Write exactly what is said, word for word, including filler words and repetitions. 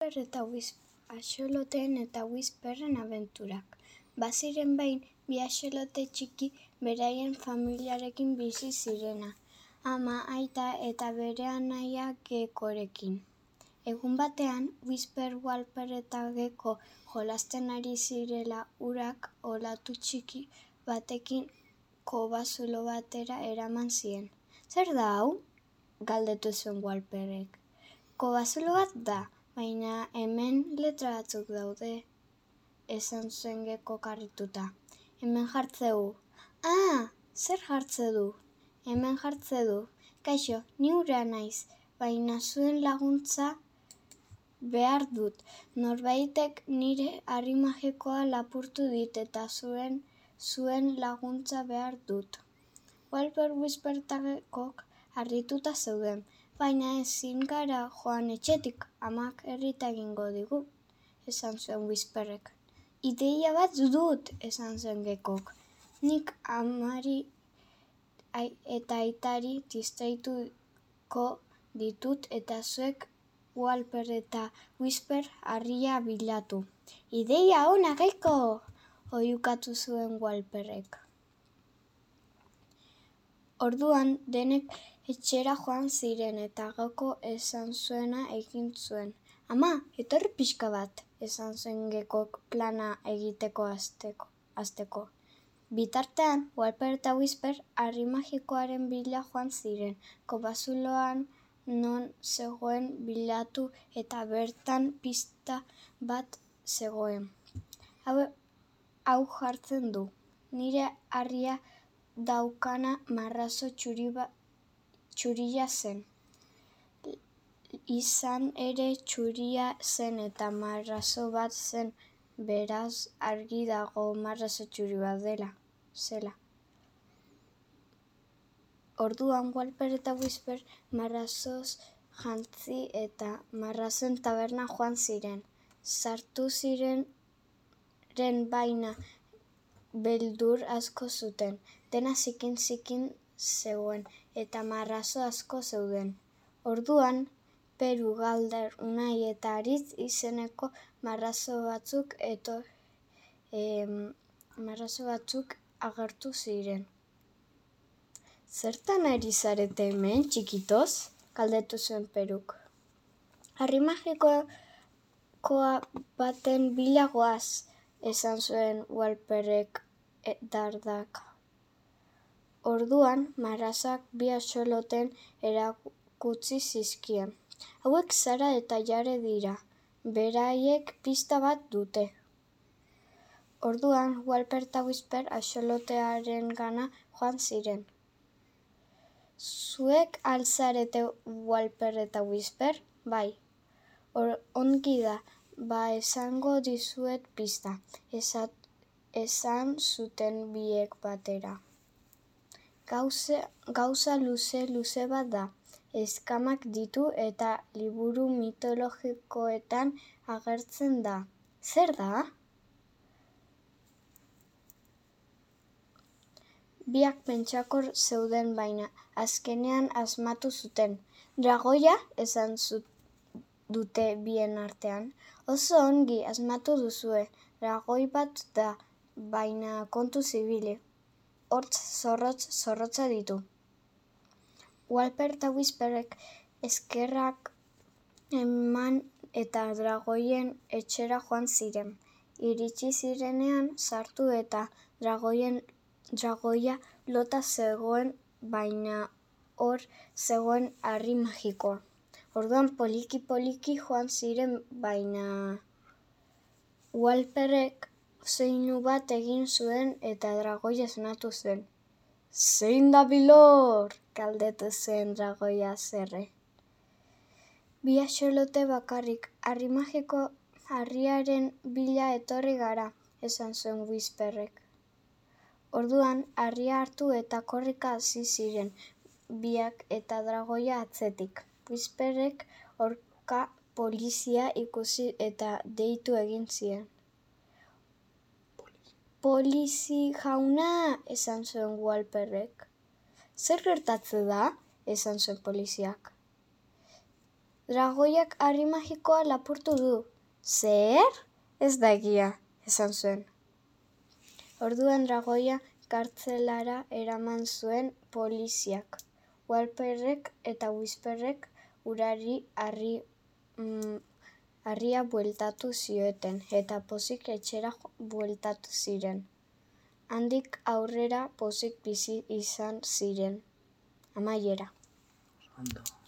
Walper eta Whisper axoloteen eta Whisperren abenturak. Baziren behin, bi axolote txiki beraien familiarekin bizi zirena, ama, aita eta bere anaia Geckorekin. Egun batean, Whisper, Walper eta Gecko jolasten ari zirela urak olatu txiki batekin kobazulo batera eraman zien. "Zer da hau?" galdetu zuen Walperrek. "Kobazulo bat da, baina hemen letra batzuk daude," esan zuen Geckok harrituta. "Hemen jartzeu." "Ah, zer jartze du?" "Hemen jartze du. Kaixo, ni ura naiz, baina zuen laguntza behar dut. Norbaitek nire harri magikoa lapurtu dit eta zuen zuen laguntza behar dut." Walper, Whisper eta Geckok harrituta zeuden. "Baina ezin gara joan etxetik, amak errita egingo digu," esan zuen Whisperrek. "Ideia bat dut," esan zuen Geckok. "Nik amari eta aitari distraituko ditut eta zuek, Walper eta Whisper, harria bilatu." "Ideia ona, Gecko!" oihukatu zuen Walperrek. Orduan, denek etxera joan ziren eta Gecko esan zuena egin zuen. "Ama, etorri pixka bat," esan zuen Geckok plana egiteko hasteko. Bitartean, Walper eta Whisper harri magikoaren bila joan ziren, kobazuloan non zegoen bilatu eta bertan pista bat zegoen. "Hau jartzen du. Nire harria daukana marrazo txuria zen." Izan ere, txuria zen eta marrazo bat zen, beraz argi dago marrazo txuri bat zela. Orduan, Walper eta Whisper marrazoz jantzi eta marrazoen taberna joan ziren. Sartu ziren baina beldur asko zuten. Dena zikin-zikin zegoen eta marrazo asko zeuden. Orduan, Peru, Galder, Unai eta Haritz izeneko marrazo batzuk agertu ziren. "Zertan ari zarete hemen, txikitos?" galdetu zuen Peruk. "Harri magiko baten bila goaz," esan zuen Walperrek dardaka. Orduan, marrazoak bi axolotei erakutsi zizkien. "Hauek Sara eta Jare dira. Beraiek pista bat dute." Orduan, Walper eta Whisper axolotearengana joan ziren. "Zuek al zarete Walper eta Whisper?" "Bai." "Ongi da, ba esango dizuet pista," esan zuten biek batera. Gauza luze-luze bat da. Eskamak ditu eta liburu mitologikoetan agertzen da." "Zer da?" Biak pentsakor zeuden baina azkenean asmatu zuten. "Dragoia?" esan dute bien artean. "Oso ongi asmatu duzue. Dragoi bat da, baina kontuz ibili. Hortz zorrotz-zorrotza ditu." Walper eta Whisperrek eskerrak eman eta dragoien etxera joan ziren. Iritsi zirenean, sartu eta dragoia lotan zegoen, baina hor zegoen harri magikoa. Orduan poliki-poliki joan ziren, baina Walperrek soinu bat egin zuen eta dragoia esnatu zen. "Zein dabil hor?" galdetu zuen dragoia haserre. "Bi axolote bakarrik, harri magiko harriaren bila etorri gara," esan zuen Whisperrek. Orduan, harria hartu eta korrika hasi ziren biak eta dragoia atzetik. Whisperrek orka polizia ikusi eta deitu egin zien. "Polizi jauna!" esan zuen Walperrek. "Zer gertatzen da?" esan zuen poliziak. dragoiak harri magikoa lapurtu du. Zer? Ez da egia, esan zuen. Orduan dragoia kartzelara eraman zuen poliziak. Walperrek eta Whisperrek urari harri mm, harria bueltatu zioten, eta pozik etxera bueltatu ziren. Handik aurrera pozik bizi izan ziren. Amaiera. Ondo.